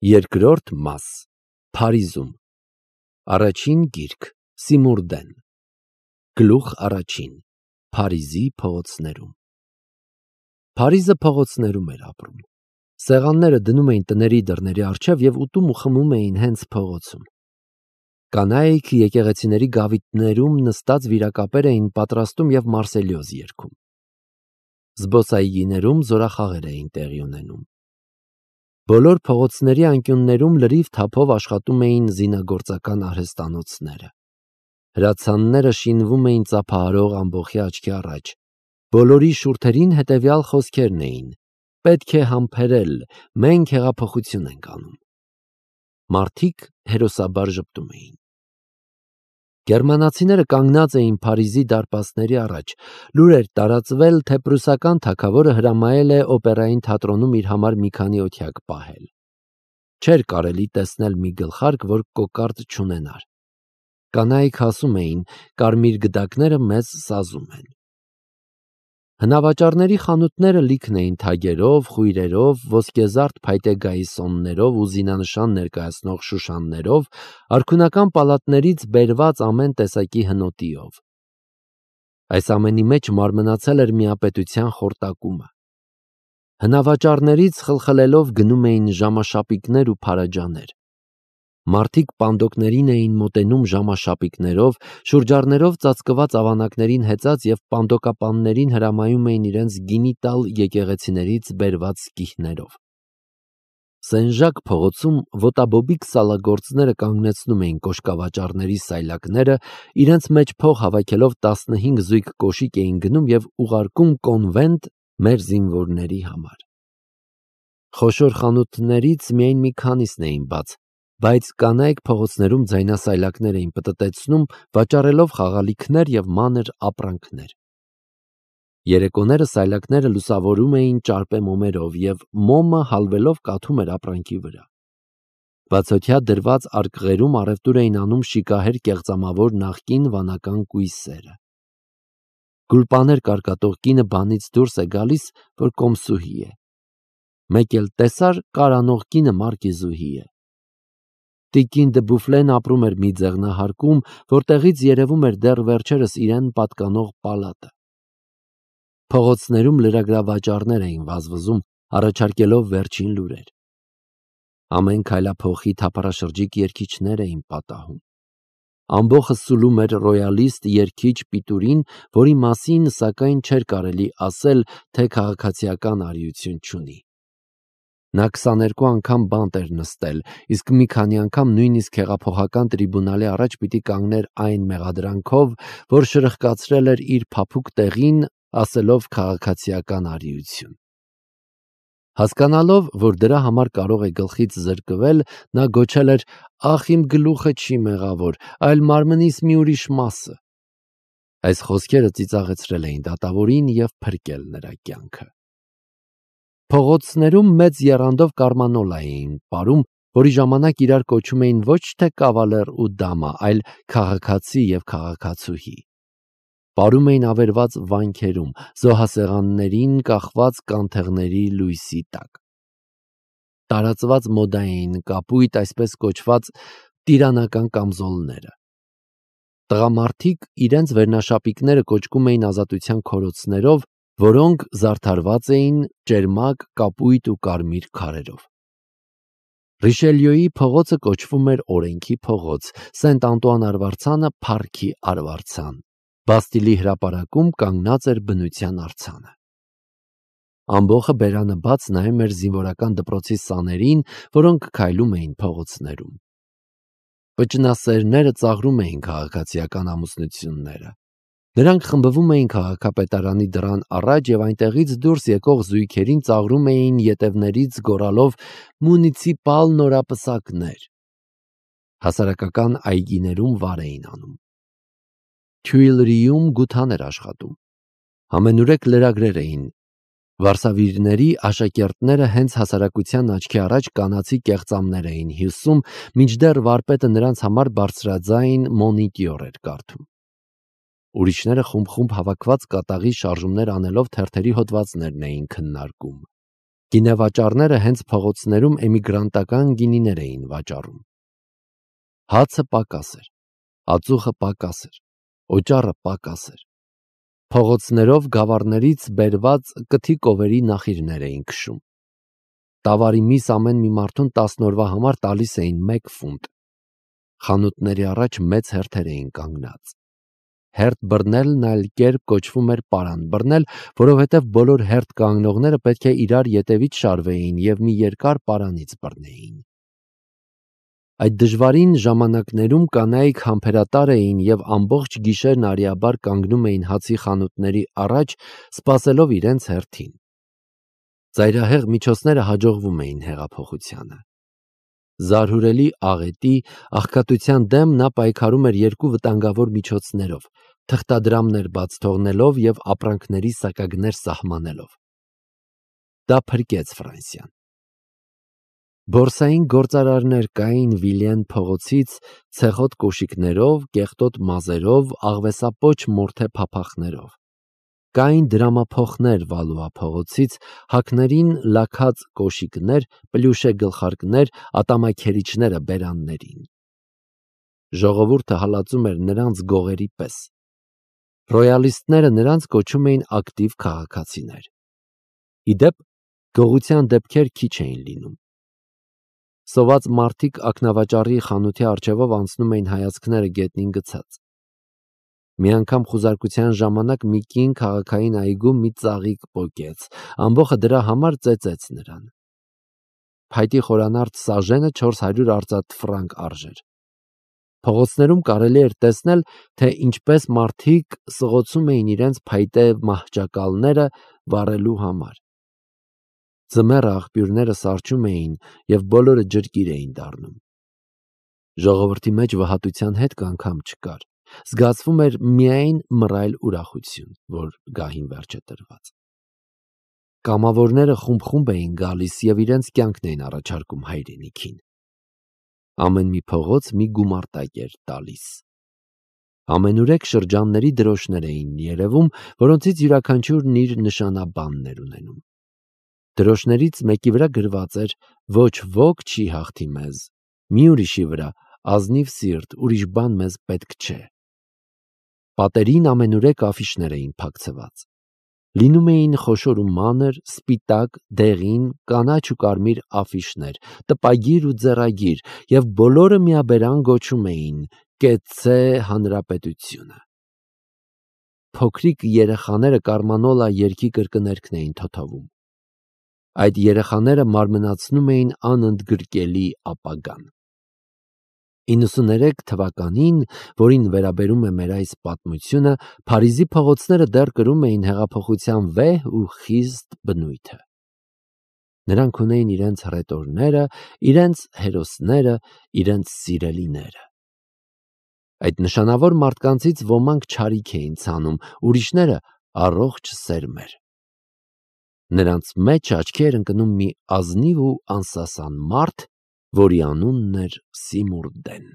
Երկրորդ մաս Փարիզում Առաջին գիրք Սիմուրդեն Գլուխ առաջին Փարիզի փողոցներում Փարիզը փողոցներում էր ապրում։ Սեղանները դնում էին տների դռների առջև և ուտում ու խմում էին հենց փողոցում։ Կանայք եկեղեցիների գավիթներում նստած վիրակապեր էին պատրաստում և մարսելյոզ երգում։ Զբոսայգիներում զորախաղեր էին տեղի ունենում։ Բոլոր փողոցների անկյուններում լրիվ թափով աշխատում էին զինագործական արհեստանոցները։ Հրացանները շինվում էին ծափահարող ամբոխի աչքի առաջ։ Բոլորի շուրթերին հետևյալ խոսքերն էին. «Պետք է համբերել, մենք հեղափոխություն ենք անում»։ Մարդիկ հերոսաբար ժպտում էին։ Գերմանացիները կանգնած էին Փարիզի դարպասների առաջ։ Լուր էր տարածվել, թե պրուսական թագավորը հրամայել է օպերային թատրոնում իր համար մի քանի օթյակ պահել։ Չէր կարելի տեսնել մի գլխարկ, որ կոկարդ չունենար։ Կանայք ասում էին. «Կարմիր գդակները մեզ սազում են»։ Հնավաճառների խանութները լիքն էին թագերով, խույրերով, ոսկեզարդ փայտե գայիսոններով ու զինանշան ներկայացնող շուշաններով, արքունական պալատներից բերված ամեն տեսակի հնոտիով։ Այս ամենի մեջ մարմնացել էր միապետության խորտակումը։ Հնավաճառներից խլխլելով գնում էին ժամաշապիկներ ու փարաջաներ։ Մարդիկ պանդոկներին էին մոտենում ժամաշապիկներով, շուրջառներով ծածկված ավանակներին հեծած և պանդոկապաններին հրամայում էին իրենց գինի տալ եկեղեցիներից բերված կիհներով։ Սեն-Ժակ փողոցում ոտաբոբիկ սալագործները կանգնեցնում էին կոշկավաճառների սայլակները, իրենց մեջ փող հավաքելով 15 զույգ կոշիկ էին գնում և ուղարկում կոնվենտ մեր զինվորների համար։ Խոշոր խանութներից միայն մի քանիսն էին բաց, բայց կանայք փողոցներում ձայնասայլակներ էին պտտեցնում, վաճառելով խաղալիքներ և մանր ապրանքներ։ Երեկոները սայլակները լուսավորում էին ճարպե մոմերով, և մոմը հալվելով կաթում էր ապրանքի վրա։ Բացօթյա դրված արկղերում առևտուր էին անում շիկահեր կեղծամավոր նախկին վանական կույսերը։ Գուլպաներ կարկատող կինը բանից դուրս է գալիս, որ կոմսուհի է։ Մեկ էլ տեսար կարանող կինը մարկիզուհի է։ Տիկին դը Բուֆլեն ապրում էր մի ձեղնահարկում, որտեղից երևում էր դեռ վերջերս իրեն պատկանող պալատը։ Փողոցներում լրագրավաճառներ էին վազվզում, առաջարկելով վերջին լուրեր։ Ամեն քայլափոխի թափառաշրջիկ երգիչներ էին պատահում։ Ամբոխը սուլում էր ռոյալիստ երգիչ Պիտուրին, որի մասին, սակայն, չէր կարելի ասել, թե քաղաքացիական արիություն չունի։ Նա 22 անգամ բանտ էր նստել, իսկ մի քանի անգամ նույնիսկ հեղափոխական տրիբունալի առաջ պիտի կանգներ այն մեղադրանքով, որ շրխկացրել էր իր փափուկ տեղին, ասելով քաղաքացիական արիություն։ Հասկանալով, որ դրա համար կարող է գլխից զրկվել, նա գոչել էր. «Ախ, իմ գլուխը չի մեղավոր, այլ մարմնիս մի ուրիշ մասը»։ Այս խոսքերը ծիծաղեցրել էին դատավորին և փրկել նրա կյանքը։ Փողոցներում մեծ եռանդով կարմանոլա էին պարում, որի ժամանակ իրար կոչում էին ոչ թե կավալեր ու դամա, այլ քաղաքացի և քաղաքացուհի։ Պարում էին ավերված վանքերում, զոհասեղաններին կախված կանթեղների լույսի տակ։ Տարածված մոդա էին կապույտ, այսպես կոչված տիրանական կամզոլները։ Տղամարդիկ իրենց վերնաշապիկները կոճկում էին ազատության քորոցներով, որոնք զարդարված էին ճերմակ, կապույտ ու կարմիր քարերով։ Ռիշելյոյի փողոցը կոչվում էր օրենքի փողոց, Սենտ Անտուան արվարձանը փառքի արվարձան։ Բաստիլի հրապարակում կանգնած էր բնության արձանը։ Ամբոխը բերանը բաց նայում էր զինվորական դպրոցի սաներին, որոնք քայլում էին փողոցներում։ Վճնասերները ծաղրում էին քաղաքացիական ամուսնությունները։ Նրանք խմբվում էին քաղաքապետարանի դռան առաջ և այնտեղից դուրս եկող զույգերին ծաղրում էին ետևներից գոռալով «Մունիցիպալ նորապսակներ»։ Հասարակական այգիներում վար էին անում։ Թյուիլրիում գութան էր աշխատում։ Ամենուրեք լրագրեր էին։ Վարսավիրների աշակերտները հենց հասարակության աչքի առաջ կանացի կեղծամներ էին հյուսում, մինչդեռ վարպետը նրանց համար բարձրաձայն մոնիտյուր էր կարդում։ Ուրիշները խումբ-խումբ հավաքված կատաղի շարժումներ անելով թերթերի հոդվածներն էին քննարկում։ Գինեվաճառները հենց փողոցներում էմիգրանտական գինիներ էին վաճառում։ Հացը պակաս էր, ածուխը պակաս էր, օճառը պակաս էր։ Փողոցներով գավառներից բերված կթի կովերի նախիրներ էին քշում։ Տավարի միս ամեն մի մարդուն 10 օրվա համար տալիս էին 1 ֆունտ։ Խանութների առաջ մեծ հերթեր էին կանգնած։ Հերթ բռնելն այլ կերպ կոչվում էր պարան բռնել, որովհետև բոլոր հերթ կանգնողները պետք է իրար ետևից շարվեին և մի երկար պարանից բռնեին։ Այդ դժվարին ժամանակներում կանայք համբերատար էին և ամբողջ գիշերն արիաբար կանգնում էին հացի խանութների առաջ, սպասելով իրենց հերթին։ Ծայրահեղ միջոցները հաջողվում էին հեղափոխությանը։ Զարհուրելի աղետի, աղքատության դեմ նա պայքարում էր 2 վտանգավոր միջոցներով՝ թղթադրամներ բաց թողնելով և ապրանքների սակագներ սահմանելով։ Դա փրկեց Ֆրանսիան։ Բորսային գործարարներ կային Վիլյեն փողոցից ցեխոտ կոշիկներով, կեղտոտ մազերով, աղվեսապոչ մորթե փափախներով։ Կային դրամափոխներ Վալուա փողոցից, հակներին լաքած կոշիկներ, պլյուշե գլխարկներ, ատամաքերիչները բերաններին։ Ժողովուրդը հալածում էր նրանց գողերի պես։ Ռոյալիստները նրանց կոչում էին ակտիվ քաղաքացիներ։ Ի դեպ, գողության դեպքեր քիչ էին լինում։ Սոված մարդիկ ակնավաճառի խանութի առջևով անցնում էին հայացքները գետնին գցած։ Մի անգամ խուզարկության ժամանակ մի կին քաղաքային այգում մի ծաղիկ պոկեց, ամբոխը դրա համար ծեծեց նրան։ Փայտի խորանարդ սաժենը 400 արծաթ ֆրանկ արժեր։ Փողոցներում կարելի էր տեսնել, թե ինչպես մարդիկ սղոցում էին իրենց փայտե մահճակալները վառելու համար։ Ձմեռը աղբյուրները սառչում էին և բոլորը ջրկիր էին դառնում։ Ժողովրդի մեջ վհատության հետք անգամ չկար, զգացվում էր միայն մռայլ ուրախություն, որ գահին վերջ է տրված։ Կամավորները խումբ-խումբ էին գալիս և իրենց կյանքն էին առաջարկում հայրենիքին։ Ամեն մի փողոց մի գումարտակ էր տալիս։ Ամենուրեք շրջանների դրոշներ էին երևում, որոնցից յուրաքանչյուրն իր նշանաբանն էր ունենում։ Դրոշներից մեկի վրա գրված էր. «Ոչ ոք չի հաղթի մեզ», մի ուրիշի վրա. «Ազնիվ սիրտ, ուրիշ բան մեզ պետք չէ»։ Պատերին ամենուրեք աֆիշներ էին փակցված։ Լինում էին խոշոր ու մանր, սպիտակ, դեղին, կանաչ ու կարմիր աֆիշներ, տպագիր ու ձեռագիր, և բոլորը միաբերան գոչում էին «Կեցցե հանրապետությունը»։ Փոքրիկ երեխաները կարմանոլա երգի կրկներգն էին թոթովում։ Այդ երեխաները մարմնացնում էին անընդգրկելի ապագան։ 93 թվականին, որին վերաբերում է մեր այս պատմությունը, Փարիզի փողոցները դեռ կրում էին հեղափոխության վեհ ու խիստ բնույթը։ Նրանք ունեին իրենց հռետորները, իրենց հերոսները, իրենց սիրելիները։ Այդ նշանավոր մարդկանցից ոմանք չարիք էին ցանում, ուրիշները առողջ սերմեր։ Նրանց մեջ աչքի էր ընկնում մի ազնիվ ու անսասան մարդ, որի անունն էր Սիմուրդեն։